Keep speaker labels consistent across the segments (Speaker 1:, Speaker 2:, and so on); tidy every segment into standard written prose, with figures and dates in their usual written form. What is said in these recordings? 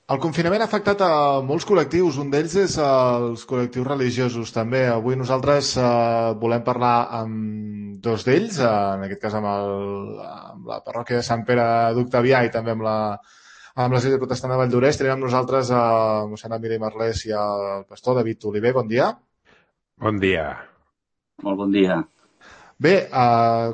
Speaker 1: El confinament ha afectat a molts col·lectius, un d'ells és els col·lectius religiosos també. Avui nosaltres volem parlar amb dos d'ells, en aquest cas amb la parròquia de Sant Pere d'Octavià i també amb l'Església Protestant de Valldoreix. Tenim amb nosaltres a mossèn Emili Marlès i el pastor David Oliver. Bon dia.
Speaker 2: Bon dia.
Speaker 3: Molt bon dia.
Speaker 1: Bé,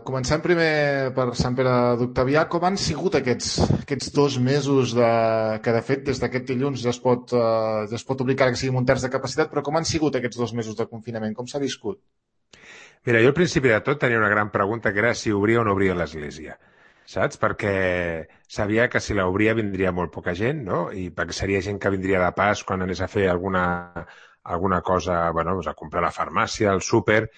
Speaker 1: comencem primer per Sant Pere d'Octavià. Com han sigut aquests 2 mesos que, de fet, des d'aquest dilluns ja es pot obrir que sigui amb un terç de capacitat, però com han sigut aquests 2 mesos de confinament? Com s'ha viscut?
Speaker 2: Mira, jo al principi de tot tenia una gran pregunta que era si obria o no obria l'església, saps? Perquè sabia que si l'obria vindria molt poca gent, no? I perquè seria gent que vindria de pas quan anés a fer alguna cosa, bueno, a comprar a la farmàcia, al súper.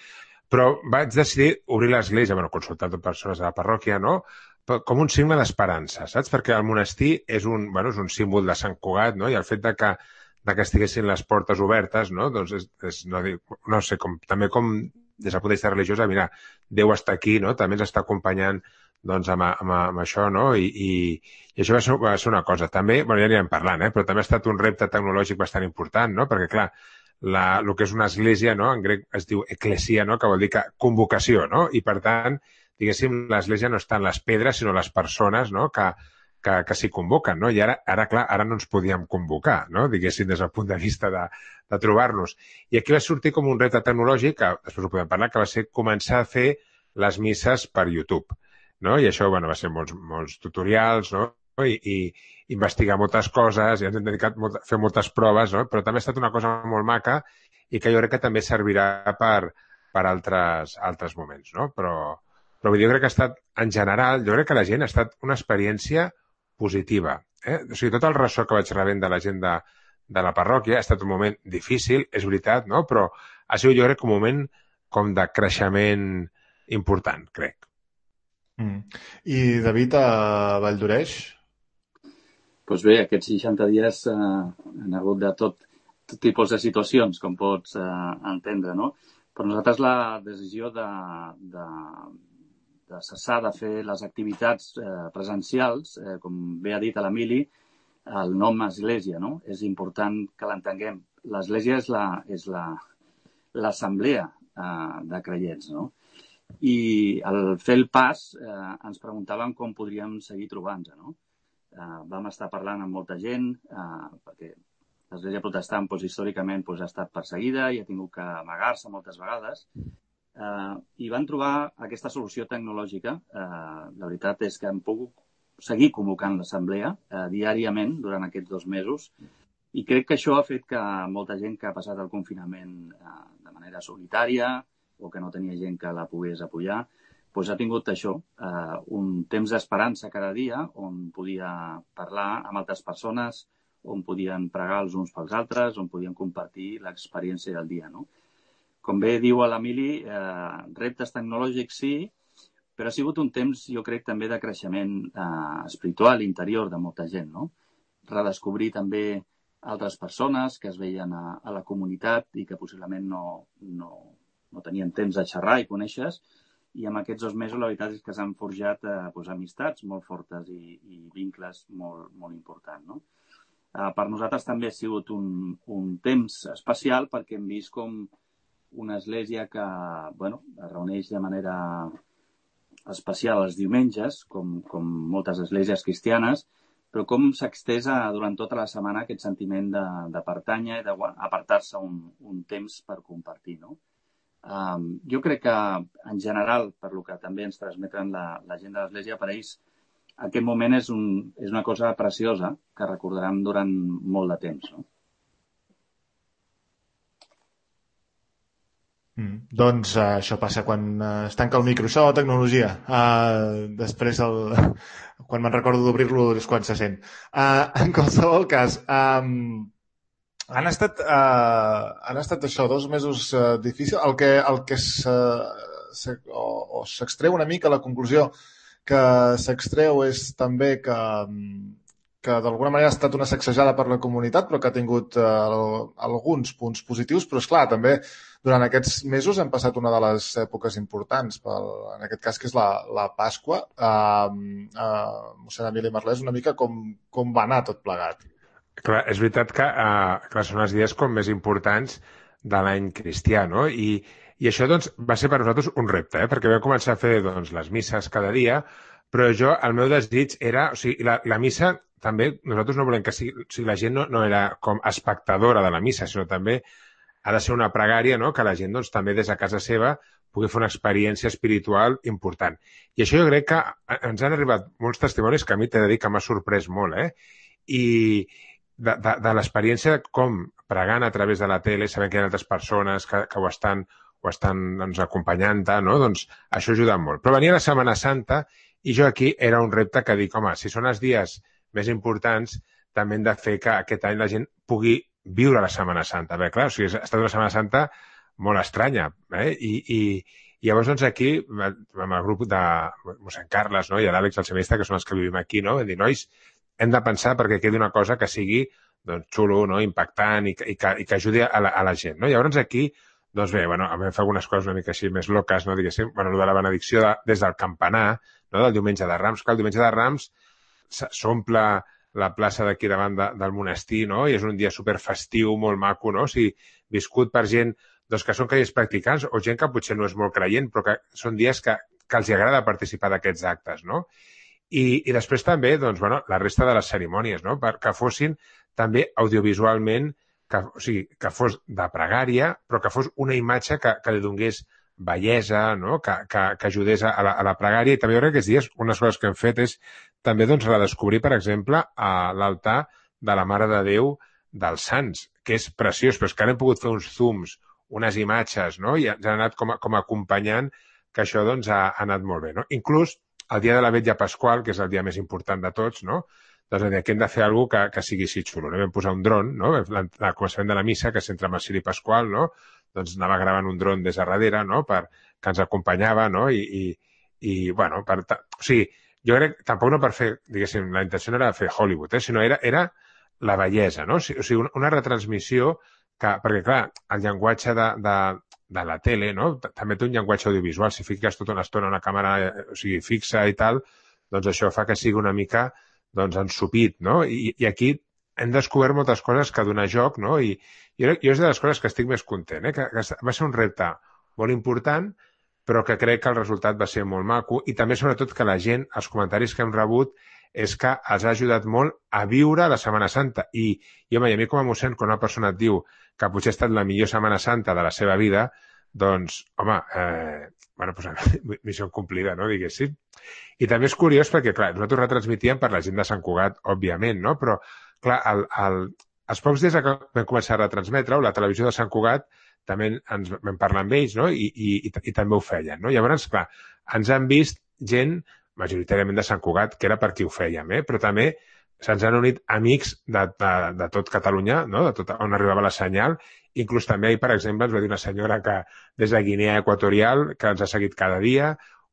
Speaker 2: Però vaig decidir obrir l'església, bueno, consultant amb persones de la parròquia, no? Com un signe d'esperança, saps? Perquè el monestir és un símbol de Sant Cugat, no? I el fet de que estiguessin les portes obertes, no? Doncs no sé, també com des del punt de vista religiós, mira, Déu està aquí, no? També ens està acompanyant doncs, amb això, no? I això va ser una cosa. També, bueno, ja anirem parlant, però també ha estat un repte tecnològic bastant important, no? Perquè, clar, el que és una església, no? En grec es diu eclesia, no? Que vol dir convocació, no? I per tant, diguéssim, l'església no està en les pedres, sinó les persones, no? que s'hi convoquen, no? I ara no ens podíem convocar, no? Diguéssim, des del punt de vista de trobar-nos. I aquí va sortir com un repte tecnològic, que després ho podem parlar, que va ser començar a fer les misses per YouTube, no? I això, bueno, va ser molts tutorials, no? I investigar moltes coses, i ens hem dedicat a fer moltes proves, no? Però també ha estat una cosa molt maca i que jo crec que també servirà per altres moments, no? Però jo crec que ha estat, en general, jo crec que la gent ha estat una experiència positiva. O sigui, tot el ressò que vaig rebent de la gent de la parròquia ha estat un moment difícil, és veritat, no? Però ha sigut, jo crec, un moment com de creixement important, crec.
Speaker 1: I David, a Valldoreix?
Speaker 3: Doncs bé, aquests 60 dies han hagut de tot tipus de situacions, com pots entendre, no? Per nosaltres la decisió de cessar de fer les activitats presencials, com bé ha dit l'Emili, el nom església, no? És important que l'entenguem. L'església és l'assemblea de creients, no? I al fer el pas ens preguntàvem com podríem seguir trobant-nos, no? Vam estar parlant amb molta gent, perquè l'Església Protestant històricament ha estat perseguida i ha tingut que amagar-se moltes vegades, i van trobar aquesta solució tecnològica. La veritat és que hem pogut seguir convocant l'assemblea diàriament durant aquests 2 mesos, i crec que això ha fet que molta gent que ha passat el confinament de manera solitària o que no tenia gent que la pogués apoyar, ha tingut això, un temps d'esperança cada dia on podia parlar amb altres persones, on podien pregar els uns pels altres, on podien compartir l'experiència del dia, no? Com bé diu l'Emili, reptes tecnològics sí, però ha sigut un temps, jo crec, també de creixement espiritual interior de molta gent, no? Redescobrir també altres persones que es veien a la comunitat i que possiblement no tenien temps de xerrar i conèixer, i en aquests 2 mesos la veritat és que s'han forjat amistats molt fortes i vincles molt, molt importants, no? Per nosaltres també ha sigut un temps especial perquè hem vist com una església que es reuneix de manera especial els diumenges, com moltes esglésies cristianes, però com s'extesa durant tota la setmana aquest sentiment de pertànyer i d'apartar-se un temps per compartir, no? Jo crec que, en general, per lo que també ens transmeten la gent de l'Església, per ells aquest moment és una cosa preciosa que recordaran durant molt de temps, no?
Speaker 1: Doncs això passa quan es tanca el micro. Això, tecnologia. Després, quan me'n recordo d'obrir-lo, és quan se sent. En qualsevol cas, han estat això, 2 mesos difícils. El que s'extreu una mica, la conclusió que s'extreu és també que d'alguna manera ha estat una sacsejada per la comunitat, però que ha tingut alguns punts positius, però és clar, també durant aquests mesos hem passat una de les èpoques importants, en aquest cas, que és la Pasqua. Mossèn Emili Marlès, una mica com va anar tot plegat?
Speaker 2: Clar, és veritat que són els dies com més importants de l'any cristià, no? I això doncs, va ser per nosaltres un repte, perquè vam començar a fer doncs, les misses cada dia, però el meu desig era... O sigui, la missa també, nosaltres no volem que sigui... O sigui, la gent no era com espectadora de la missa, sinó també ha de ser una pregària, no?, que la gent doncs, també des de casa seva pugui fer una experiència espiritual important. I això jo crec que ens han arribat molts testimonis que a mi t'he de dir que m'ha sorprès molt, I de l'experiència com pregant a través de la tele, sabent que hi ha altres persones que ho estan doncs, acompanyant, no? Doncs això ajuda molt. Però venia la Setmana Santa i jo aquí era un repte que dic, home, si són els dies més importants, també hem de fer que aquest any la gent pugui viure la Setmana Santa. Bé, clar, o sigui, ha estat una Setmana Santa molt estranya, I llavors, doncs, aquí, amb el grup de mossèn Carles, no?, i l'Àlex, el seminista, que són els que vivim aquí, no?, vam dir, nois, hem de pensar perquè quedi una cosa que sigui doncs, xulo, no?, impactant i que ajudi a la gent, no? Llavors aquí, doncs bé, bueno, vam fer algunes coses una mica així més loques, no?, diguéssim, bueno, de la benedicció des del campanar, no?, del diumenge de Rams, que el diumenge de Rams s'omple la plaça d'aquí davant del monestir, no?, i és un dia superfestiu, molt maco, no?, o sigui, viscut per gent doncs, que són creients practicants o gent que potser no és molt creient, però que són dies que els agrada participar d'aquests actes, no? I després també, doncs, bueno, la resta de les cerimònies, no?, perquè fossin també audiovisualment, o sigui, que fos de pregària, però que fos una imatge que li donés bellesa, no?, que ajudés a la pregària. I també jo crec que aquests dies unes coses que hem fet és també doncs, redescobrir, per exemple, a l'altar de la Mare de Déu dels Sants, que és preciós, però és que ara hem pogut fer uns zooms, unes imatges, no?, i ens han anat com acompanyant que això doncs, ha anat molt bé, no? Inclús el dia de la Vetlla Pasqual, que és el dia més important de tots, no?, doncs aquí hem de fer alguna cosa que sigui així xulo. No? Vam posar un dron, no?, al començament de la missa, que s'entra amb el Ciri Pasqual, no?, doncs anava gravant un dron des de darrere, no?, que ens acompanyava, no?, i bueno, o sigui, jo crec, tampoc no per fer, diguéssim, la intenció no era fer Hollywood, sinó era la bellesa, no? O sigui, una retransmissió perquè, clar, el llenguatge de la tele, no?, també té un llenguatge audiovisual. Si fiques tota una estona una càmera fixa i tal, doncs això fa que sigui una mica doncs, ensupit, no? I aquí hem descobert moltes coses que donar joc, no? I jo és de les coses que estic més content, que va ser un repte molt important, però que crec que el resultat va ser molt maco i també, sobretot, que la gent, els comentaris que hem rebut, és que els ha ajudat molt a viure la Setmana Santa. I home, a mi com a mossèn, quan una persona et diu que potser ha estat la millor Setmana Santa de la seva vida, doncs, home, bueno, doncs, missió complida, no?, diguéssim. I també és curiós perquè, clar, nosaltres retransmitíem per la gent de Sant Cugat, òbviament, no?, però, clar, els pocs dies que vam començar a retransmetre-ho, la televisió de Sant Cugat també ens vam parlar amb ells, no?, i també ho feien, no? Llavors, clar, ens han vist gent majoritàriament de Sant Cugat, que era per qui ho fèiem, però també se'ns han unit amics de tot Catalunya, no?, de tot on arribava la senyal. Inclús també ahir, per exemple, ens va dir una senyora que des de Guinea Equatorial, que ens ha seguit cada dia,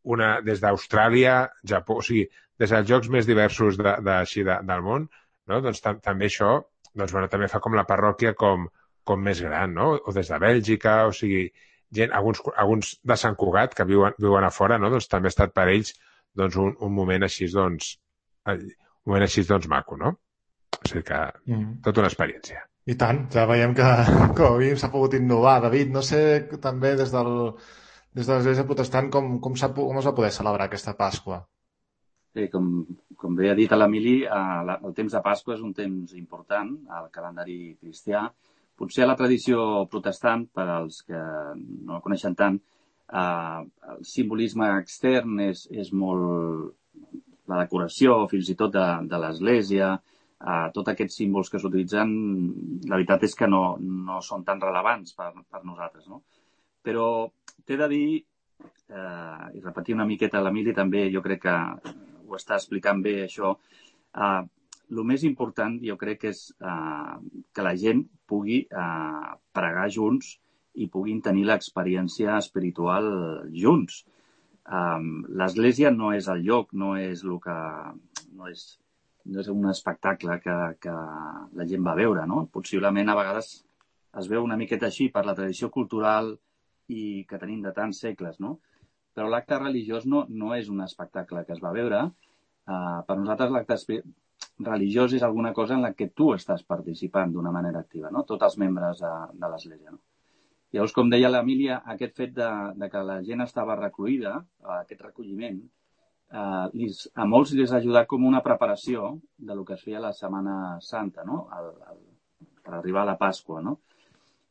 Speaker 2: una des d'Austràlia, Japó, o sigui, des dels llocs més diversos del món, no?, doncs també això, doncs, bueno, també fa com la parròquia com més gran, no?, o des de Bèlgica, o sigui, gent, alguns de Sant Cugat que viuen a fora, no?, doncs també ha estat per ells doncs un moment així, doncs, maco, no? O sigui que, tota una experiència.
Speaker 1: I tant, ja veiem que com a mínim s'ha pogut innovar. David, no sé també des de l'Església Protestant com es va poder celebrar aquesta Pasqua?
Speaker 3: Bé, com bé ha dit l'Emili, el temps de Pasqua és un temps important al calendari cristià. Potser a la tradició protestant, per als que no el coneixen tant, el simbolisme extern és molt la decoració, fins i tot de l'església, tots aquests símbols que s'utilitzen, la veritat és que no són tan rellevants per nosaltres, no? Però t'he de dir, i repetir una miqueta l'Emili també, jo crec que ho està explicant bé això, el més important jo crec que és que la gent pugui pregar junts i puguin tenir l'experiència espiritual junts. L'església no és el lloc, no és un espectacle que la gent va veure, no? Possiblement a vegades es veu una miqueta així per la tradició cultural i que tenim de tants segles, no? Però l'acte religiós no és un espectacle que es va veure. Per nosaltres l'acte religiós és alguna cosa en la que tu estàs participant d'una manera activa, no? Tots els membres de l'Església, no? Llavors, com deia l'Emília, aquest fet de que la gent estava recluïda, aquest recolliment, a molts els ha ajudat com una preparació de lo que es feia la Setmana Santa, no? Per arribar a la Pasqua, no?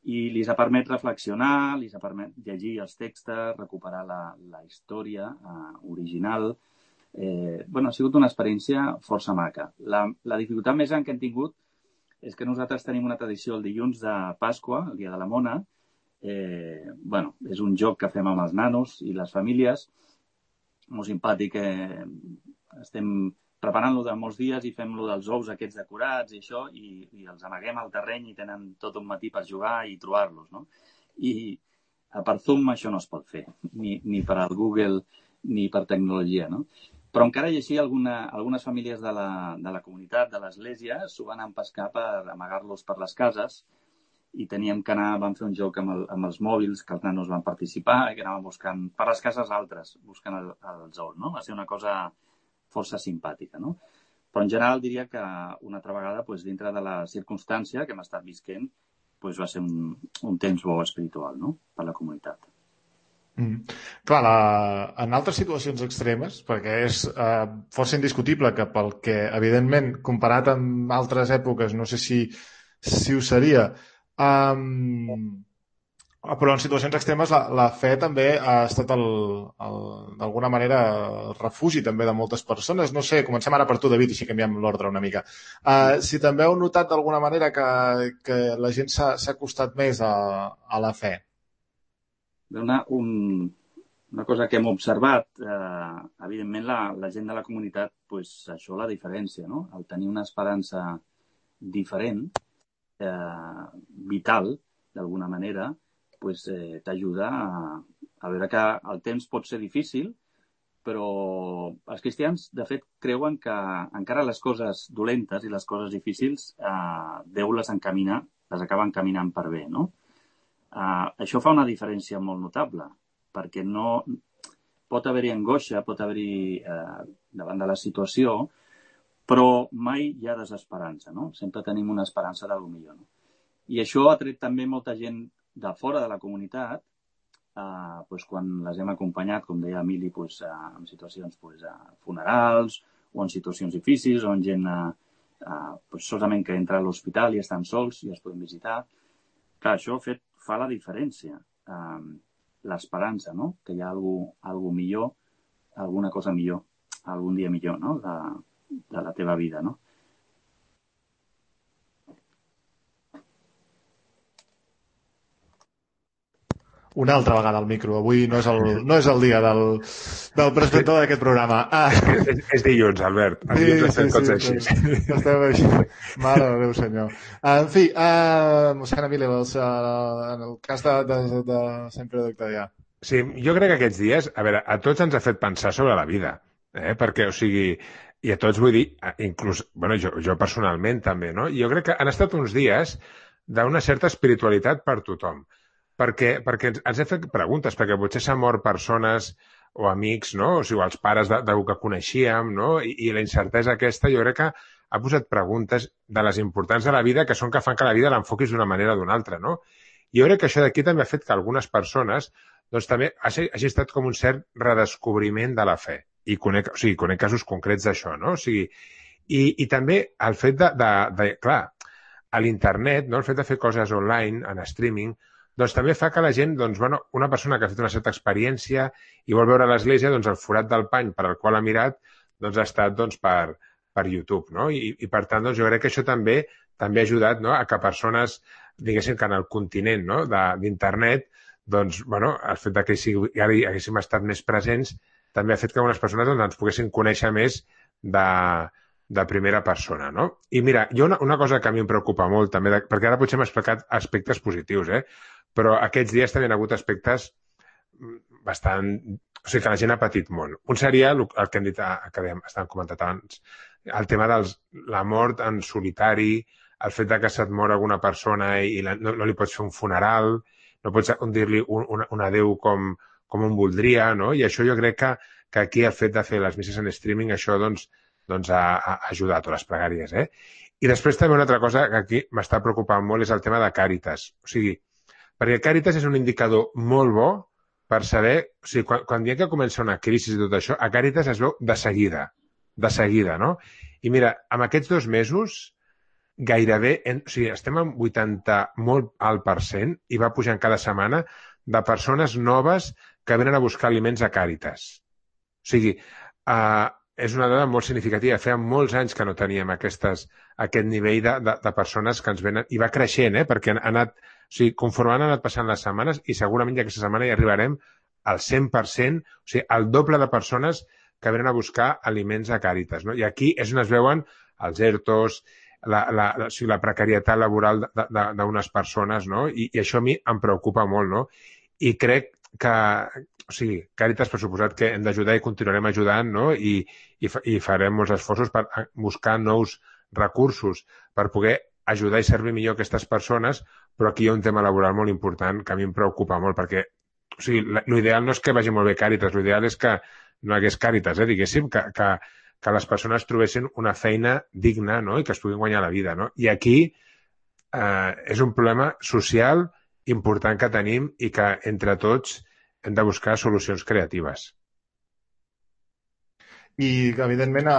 Speaker 3: I li ha permès reflexionar, li ha permès llegir els textos, recuperar la història original. Ha sigut una experiència força maca. La dificultat més gran que hem tingut és que nosaltres tenim una tradició el dilluns de Pasqua, el dia de la Mona. És un joc que fem amb els nanos i les famílies, molt simpàtic. Estem preparant-lo de molts dies i fem-lo dels ous aquests decorats i això, i els amaguem al terreny i tenen tot un matí per jugar i trobar-los, no? I per Zoom això no es pot fer, ni per al Google ni per tecnologia, no? Però encara i així algunes famílies de la comunitat, de l'Església, s'ho van empescar per amagar-los per les cases i teníem que vam fer un joc amb els mòbils, que els nanos van participar i que anàvem buscant per les cases altres, buscant els ous, no? Va ser una cosa força simpàtica, no? Però en general diria que una altra vegada, dintre de la circumstància que hem estat visquent, va ser un temps bo espiritual, no? Per la comunitat.
Speaker 1: Clar, en altres situacions extremes, perquè és força indiscutible que pel que, evidentment, comparat amb altres èpoques, no sé si ho seria, però en situacions extremes la fe també ha estat d'alguna manera el refugi també de moltes persones. No sé, comencem ara per tu, David, així canviem l'ordre una mica. Si també heu notat d'alguna manera que la gent s'ha acostat més a la fe.
Speaker 3: Una cosa que hem observat, evidentment la gent de la comunitat, això la diferència, no? El tenir una esperança diferent, vital, d'alguna manera, t'ajuda a veure que el temps pot ser difícil, però els cristians, de fet, creuen que encara les coses dolentes i les coses difícils, Déu les acaba encaminant per bé, no? Això fa una diferència molt notable, perquè no pot haver-hi angoixa, pot haver-hi davant de la situació, però mai hi ha desesperança, no? Sempre tenim una esperança d'alguna millor, no? I això ha tret també molta gent de fora de la comunitat, quan les hem acompanyat, com deia Emili, en situacions funerals o en situacions difícils, o en gent solament que entra a l'hospital i estan sols i els podem visitar. Clar, això fa la diferència. L'esperança, no? Que hi ha alguna millor, alguna cosa millor, algun dia millor, no? De la teva vida, no?
Speaker 1: Una altra vegada al micro. Avui no és el dia del presentador d'aquest programa.
Speaker 2: És dilluns, Albert. Els dilluns estem tots així.
Speaker 1: Estem així. Mare de Déu, senyor. En fi, mossèn Emili, en el cas de Sant Pere d'Octavià.
Speaker 2: Sí, jo crec que aquests dies, a tots ens ha fet pensar sobre la vida, perquè, o sigui, i a tots vull dir, inclús, jo personalment també, no? Jo crec que han estat uns dies d'una certa espiritualitat per tothom. Perquè ens hem fet preguntes, perquè potser s'han mort persones o amics, no? O sigui, els pares d'algú que coneixíem, no? I la incertesa aquesta jo crec que ha posat preguntes de les importants de la vida que fan que la vida l'enfoquis d'una manera o d'una altra, no? Jo crec que això d'aquí també ha fet que algunes persones doncs també hagi estat com un cert redescobriment de la fe. I conec casos concrets d'això, no? O sigui, i també el fet clar, a l'internet, no? El fet de fer coses online, en streaming, doncs també fa que la gent, una persona que ha fet una certa experiència i vol veure l'Església, doncs el forat del pany per al qual ha mirat, doncs ha estat per YouTube, no? I per tant, doncs jo crec que això també ha ajudat, no? A que persones, diguéssim que en el continent, no? D'internet, doncs, el fet que ara haguéssim estat més presents també ha fet que algunes persones ens poguessin conèixer més de primera persona, no? I mira, hi ha una cosa que a mi em preocupa molt també, perquè ara potser hem explicat aspectes positius, però aquests dies també han hagut aspectes bastant... O sigui, que la gent ha patit molt. Un seria el que hem dit, que estàvem comentat abans, el tema de la mort en solitari, el fet que se't mor alguna persona i no li pots fer un funeral, no pots dir-li un adéu com un voldria, no? I això jo crec que aquí el fet de fer les misses en streaming, això doncs a ajudar a totes les pregàries, I després també una altra cosa que aquí m'està preocupant molt és el tema de Càritas. O sigui, perquè Càritas és un indicador molt bo per saber, o sigui, quan diem que comença una crisi i tot això, a Càritas es veu de seguida, no? I mira, amb aquests 2 mesos, gairebé, o sigui, estem en 80 molt alt % i va pujant cada setmana de persones noves que venen a buscar aliments a Càritas. O sigui, és una dada molt significativa. Feia molts anys que no teníem aquest nivell de persones que ens venen, i va creixent, perquè ha anat, o sigui, conforme han anat passant les setmanes, i segurament ja aquesta setmana hi arribarem al 100%, o sigui, el doble de persones que venen a buscar aliments a Càritas, no? I aquí és on es veuen els ERTOs, o sigui, la precarietat laboral d'unes persones, no? I això a mi em preocupa molt, no? I crec que, o sigui, Càritas, per suposat que hem d'ajudar i continuarem ajudant, no? I farem molts esforços per buscar nous recursos per poder ajudar i servir millor aquestes persones, però aquí hi ha un tema laboral molt important que a mi em preocupa molt, perquè, o sigui, l'ideal no és que vagi molt bé Càritas, l'ideal és que no hi hagués Càritas, diguéssim, que les persones trobessin una feina digna, no? I que es puguin guanyar la vida, no? I aquí és un problema social important que tenim i que entre tots hem de buscar solucions creatives.
Speaker 1: I, evidentment,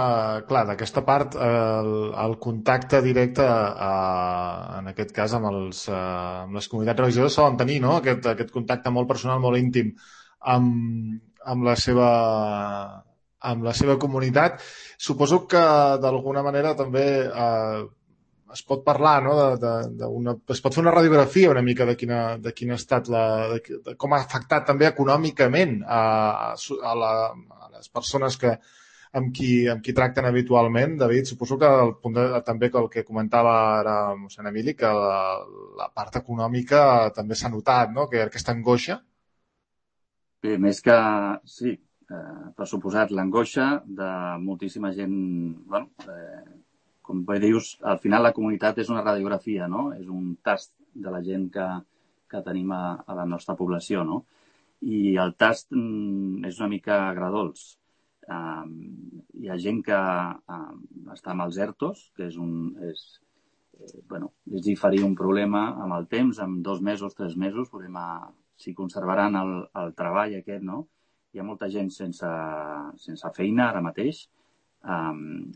Speaker 1: clar, d'aquesta part, el contacte directe, en aquest cas, amb les comunitats religioses solen tenir, no? Aquest contacte molt personal, molt íntim amb la seva comunitat. Suposo que, d'alguna manera, també es pot parlar, no? Es pot fer una radiografia una mica de quin ha estat de com ha afectat també econòmicament a les persones amb qui tracten habitualment. David, suposo que també el que comentava ara mossèn Emili, que la part econòmica també s'ha notat, no? Que aquesta angoixa.
Speaker 3: Bé, més que... Sí, per suposat, l'angoixa de moltíssima gent... Bueno, com bé dius, al final la comunitat és una radiografia, no? És un tast de la gent que tenim a la nostra població, no? I el tast és una mica agredolç. Hi ha gent que està amb els ERTOs, que és diferir un problema amb el temps, en 2 mesos, 3 mesos, veurem si conservaran el treball aquest, no? Hi ha molta gent sense feina ara mateix,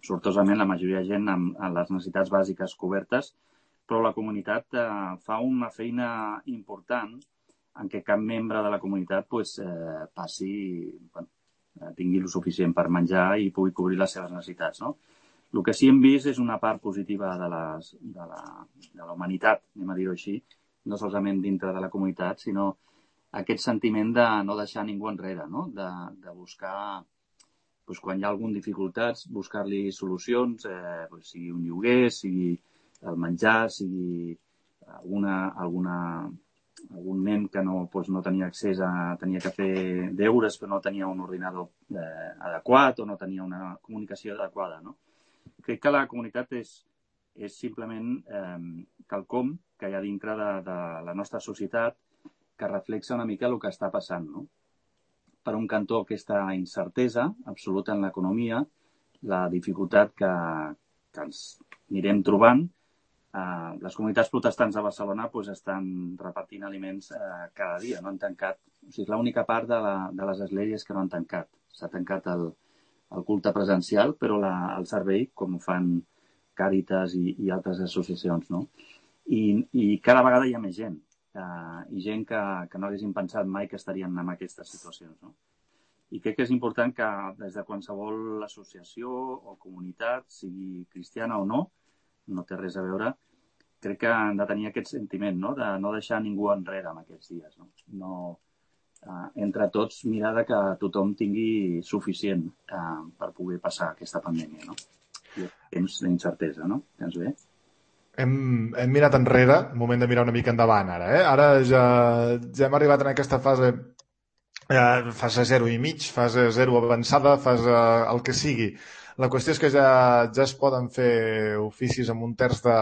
Speaker 3: sortosament la majoria de gent amb les necessitats bàsiques cobertes, però la comunitat fa una feina important en què cap membre de la comunitat tingui el suficient per menjar i pugui cobrir les seves necessitats, no? El que sí hem vist és una part positiva de la humanitat, anem a dir-ho així, no solament dintre de la comunitat, sinó aquest sentiment de no deixar ningú enrere, no? De buscar, quan hi ha alguna dificultats, buscar-li solucions, sigui un lloguer, sigui el menjar, sigui algun nen que no tenia accés tenia que fer deures però no tenia un ordinador adequat o no tenia una comunicació adequada, no? Crec que la comunitat és simplement quelcom que hi ha dintre de la nostra societat que reflexa una mica el que està passant, no? Per un cantó, aquesta incertesa absoluta en l'economia, la dificultat que ens anirem trobant. Les comunitats protestants de Barcelona estan repartint aliments cada dia, no han tancat. O sigui, és l'única part de les esglésies que no han tancat. S'ha tancat el culte presencial, però el servei, com ho fan Càritas i altres associacions, no? I cada vegada hi ha més gent. I gent que no haguessin pensat mai que estarien en aquestes situacions, no? I crec que és important que des de qualsevol associació o comunitat, sigui cristiana o no té res a veure, crec que han de tenir aquest sentiment, no? De no deixar ningú enrere en aquests dies, no? Entre tots mirar que tothom tingui suficient per poder passar aquesta pandèmia, no? I temps d'incertesa, no? Tens bé?
Speaker 1: Hem mirat enrere, moment de mirar una mica endavant ara, Ara ja hem arribat en aquesta fase 0 i mig, fase 0 avançada, fase el que sigui. La qüestió és que ja es poden fer oficis amb 1/3 de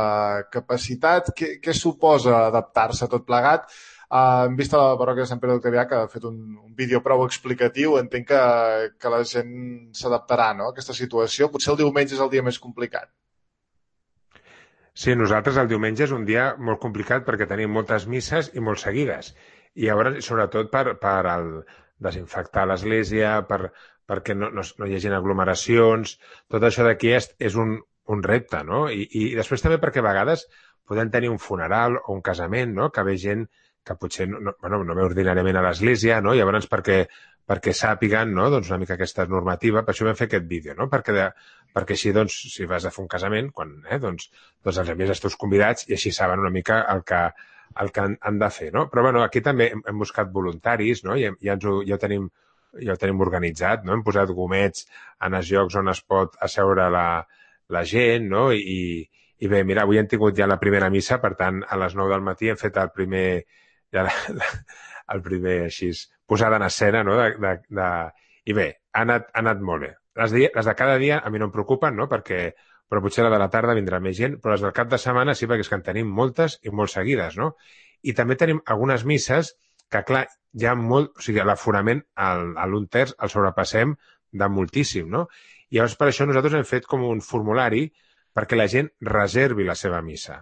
Speaker 1: capacitat. Què suposa adaptar-se a tot plegat? Hem vist a la parròquia de Sant Pere del Cavià que ha fet un vídeo prou explicatiu. Entenc que la gent s'adaptarà, no?, a aquesta situació. Potser el diumenge és el dia més complicat.
Speaker 2: Sí, nosaltres el diumenge és un dia molt complicat perquè tenim moltes misses i molt seguides. I llavors, sobretot per desinfectar l'església, perquè no hi hagin aglomeracions, tot això d'aquí és un repte, no? I després també perquè a vegades podem tenir un funeral o un casament, no?, que ve gent que potser no ve ordinàriament a l'església, no? Llavors perquè sàpiguen, no?, doncs una mica aquesta normativa, per això vam fer aquest vídeo, no?, perquè així, doncs, si vas a fer un casament, doncs els envies els teus convidats i així saben una mica el que han de fer, no? Però, bueno, aquí també hem buscat voluntaris, no?, i ja ho tenim organitzat, no? Hem posat gomets en els llocs on es pot asseure la gent, no? I bé, mira, avui hem tingut ja la primera missa, per tant, a les 9 del matí hem fet el primer així, posada en escena, no? I bé, ha anat molt bé. Les de cada dia a mi no em preocupen, no?, però potser la de la tarda vindrà més gent, però les del cap de setmana sí, perquè és que en tenim moltes i molt seguides, no? I també tenim algunes misses que, clar, hi ha molt... O sigui, l'aforament a l'un terç el sobrepassem de moltíssim, no? I llavors per això nosaltres hem fet com un formulari perquè la gent reservi la seva missa,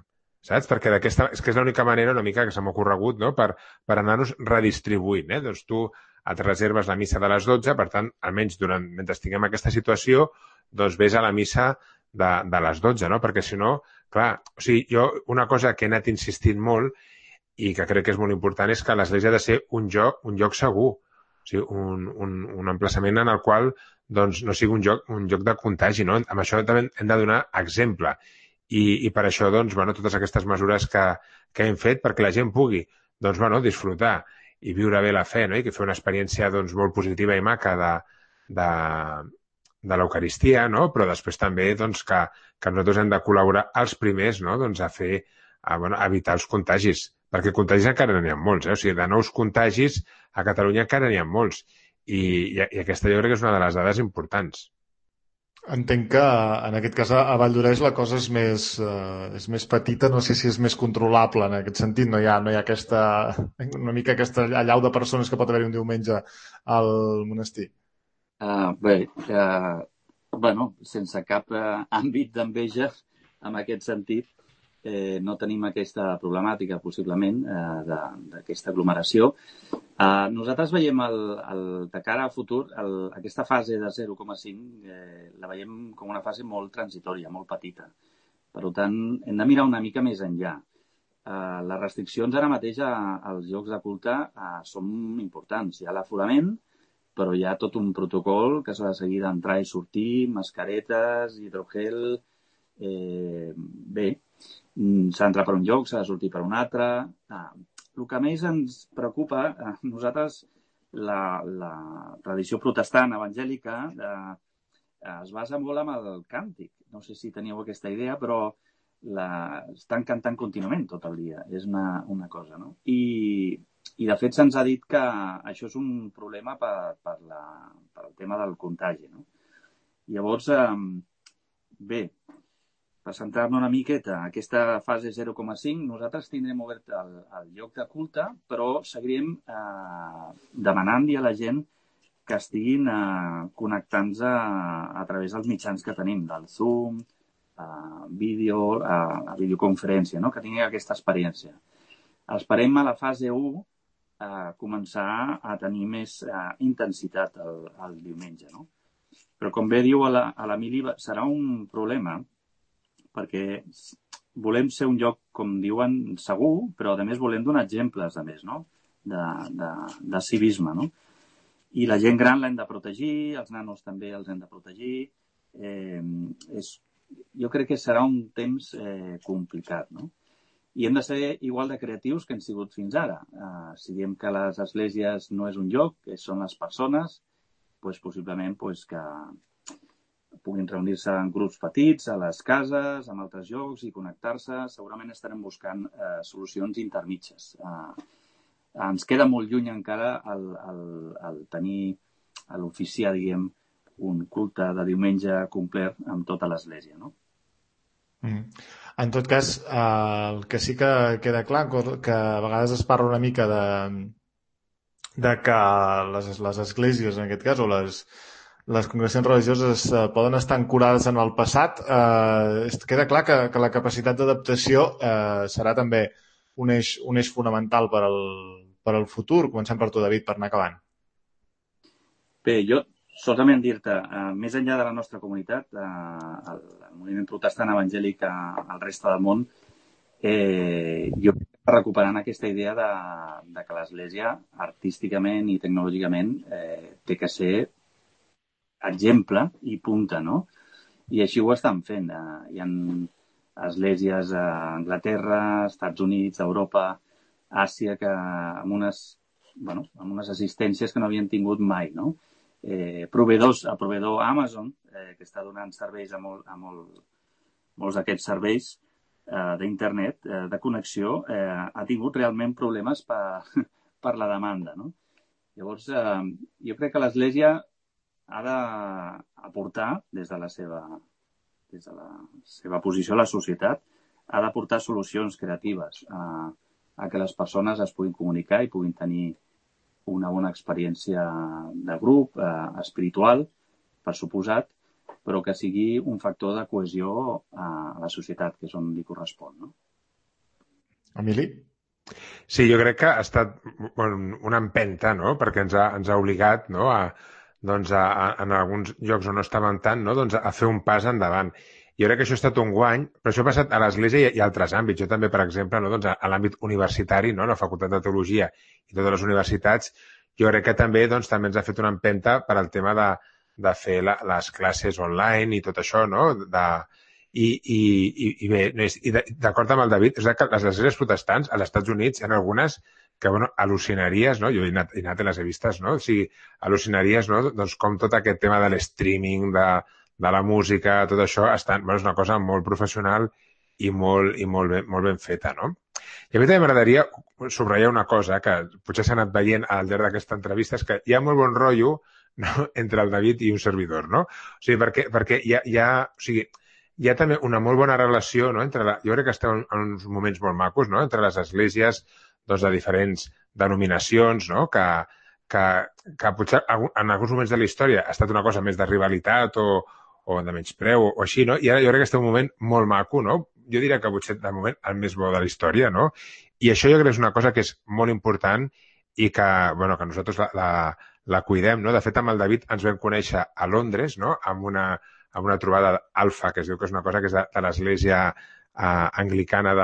Speaker 2: saps? Perquè és que és l'única manera una mica que se m'ha ocorregut, no?, per anar-nos redistribuint, eh? Doncs tu et reserves la missa de les 12, per tant, almenys mentre tinguem aquesta situació, doncs vés a la missa de les 12, no? Perquè si no, clar, o sigui, jo una cosa que he anat insistint molt i que crec que és molt important és que l'església ha de ser un lloc segur, o sigui, un emplaçament en el qual doncs, no sigui un lloc de contagi, no? Amb això també hem de donar exemple. I per això, doncs, bueno, totes aquestes mesures que hem fet perquè la gent pugui, doncs, bueno, disfrutar i viure bé la fe, no?, i que fer una experiència, doncs, molt positiva i maca de l'Eucaristia, no?, però després també, doncs, que nosaltres hem de col·laborar els primers, no?, doncs, a evitar els contagis, perquè contagis encara n'hi ha molts, o sigui, de nous contagis a Catalunya encara n'hi ha molts, i aquesta jo crec que és una de les dades importants.
Speaker 1: Entenc que en aquest cas a Valldoreix la cosa és més petita, no sé si és més controlable en aquest sentit, no hi ha una mica aquesta allau de persones que pot haver-hi un diumenge al monestir.
Speaker 3: Bé, bueno, sense cap àmbit d'enveja en aquest sentit, no tenim aquesta problemàtica, possiblement, d'aquesta aglomeració. Nosaltres veiem de cara al futur, aquesta fase de 0,5 la veiem com una fase molt transitòria, molt petita. Per tant, hem de mirar una mica més enllà. Les restriccions ara mateix als llocs de culte són importants. Hi ha l'aforament, però hi ha tot un protocol que s'ha de seguir d'entrar i sortir, mascaretes, hidrogel... Bé, s'ha d'entrar per un lloc, s'ha de sortir per un altre. El que més ens preocupa, nosaltres, la tradició protestant evangèlica es basa molt en el càntic. No sé si teníeu aquesta idea, però estan cantant contínuament tot el dia. És una cosa, no? I de fet se'ns ha dit que això és un problema per el tema del contagi, no? Llavors, bé, per centrar-nos una miqueta, aquesta fase 0,5, nosaltres tindrem obert el lloc de culte, però seguirem demanant-li a la gent que estiguin connectant-se a través dels mitjans que tenim, del Zoom, vídeo, a videoconferència, no?, que tinguin aquesta experiència. Esperem a la fase 1 començar a tenir més intensitat el diumenge, no? Però com bé diu l'Emili, serà un problema perquè volem ser un lloc, com diuen, segur, però a més volem donar exemples, a més, no?, de civisme, no? I la gent gran l'hem de protegir, els nanos també els hem de protegir. Jo crec que serà un temps complicat, no? I hem de ser igual de creatius que hem sigut fins ara. Si diem que les esglésies no és un lloc, que són les persones, doncs possiblement que puguin reunir-se en grups petits, a les cases, en altres llocs i connectar-se. Segurament estarem buscant solucions intermitges. Ens queda molt lluny encara el tenir, l'oficiar, diguem, un culte de diumenge complet amb tota l'església, no?
Speaker 1: En tot cas, el que sí que queda clar, que a vegades es parla una mica de que les esglésies, en aquest cas, o les congregacions religioses poden estar ancorades en el passat, queda clar que la capacitat d'adaptació serà també un eix fonamental per al futur. Comencem per tu, David, per anar acabant.
Speaker 3: Bé, jo solament dir-te, més enllà de la nostra comunitat, el moviment protestant evangèlic al reste del món, jo recuperant aquesta idea de que l'Església, artísticament i tecnològicament, té que ser exemple i punta, no? I així ho estan fent. Hi ha esglésies a Anglaterra, Estats Units, Europa, Àsia, que amb unes assistències que no havien tingut mai, no? El proveedor Amazon, que està donant serveis a molts d'aquests serveis d'internet, de connexió, ha tingut realment problemes per la demanda, no? Llavors, jo crec que l'Església ha d'aportar des de la seva posició a la societat, ha d'aportar solucions creatives a que les persones es puguin comunicar i puguin tenir una bona experiència de grup, espiritual, per suposat, però que sigui un factor de cohesió a la societat, que és on li correspon, no?
Speaker 1: Emili?
Speaker 2: Sí, jo crec que ha estat una empenta, no?, perquè ens ha obligat, no?, en alguns llocs on no estàvem tant, no?, doncs a fer un pas endavant. Jo crec que això ha estat un guany, però això ha passat a l'Església i a altres àmbits. Jo també, per exemple, no?, doncs a l'àmbit universitari, no?, la Facultat de Teologia i totes les universitats, jo crec que també ens ha fet una empenta per al tema de fer les classes online i tot això, no?, I bé, d'acord amb el David, és que les esglésies protestants als Estats Units hi ha algunes que, al·lucinaries, no? Jo he anat i les he vistes, no? O sigui, al·lucinaries, no? Doncs com tot aquest tema de l'streaming, de la música, tot això, és una cosa molt professional i molt ben feta, no? I a mi també m'agradaria subratllar una cosa que potser s'ha anat veient al llarg d'aquesta entrevista, és que hi ha molt bon rotllo, no?, entre el David i un servidor, no? O sigui, perquè hi ha també una molt bona relació, no?, jo crec que estem en uns moments molt macos, no?, entre les esglésies, doncs, de diferents denominacions, no?, que potser en alguns moments de la història ha estat una cosa més de rivalitat o de menyspreu o així, no? I ara jo crec que estem en un moment molt maco, no? Jo diria que potser de moment el més bo de la història, no? I això jo crec que és una cosa que és molt important i que nosaltres la cuidem, no? De fet, amb el David ens vam conèixer a Londres, no?, amb una trobada alfa, que es diu que és una cosa que és de l'església anglicana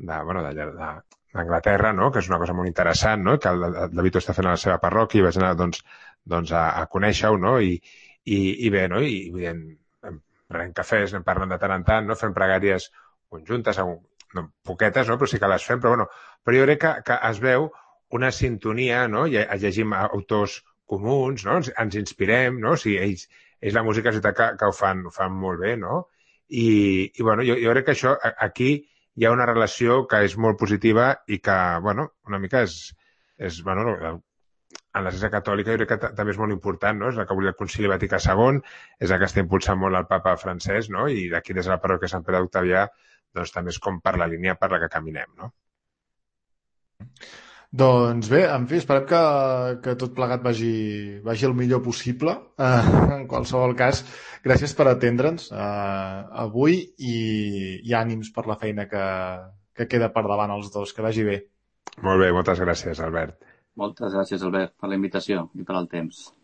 Speaker 2: d'Anglaterra, no?, que és una cosa molt interessant, no?, que el David ho està fent a la seva parròquia i vaig anar doncs a conèixer-ho, no?, i bé, no?, i prenent cafès, anem parlant de tant en tant, no?, fem pregàries conjuntes, no, poquetes, no?, però sí que les fem, però jo crec que es veu una sintonia, no?, llegim autors comuns, no?, ens inspirem, no?, o sigui, ells la música que ho fan molt bé, no?, i jo crec que això, aquí hi ha una relació que és molt positiva i que, una mica en l'Església Catòlica jo crec que també és molt important, no?, és la que volia el Concili Vaticà II, és la que està impulsant molt el papa francès, no?, i d'aquí des de la parròquia Sant Pere d'Octavià, doncs també és com per la línia per la que caminem, no?
Speaker 1: Doncs bé, en fi, esperem que tot plegat vagi el millor possible. En qualsevol cas, gràcies per atendre'ns avui i ànims per la feina que queda per davant els dos. Que vagi bé.
Speaker 2: Molt bé, moltes gràcies, Albert.
Speaker 3: Moltes gràcies, Albert, per la invitació i per el temps.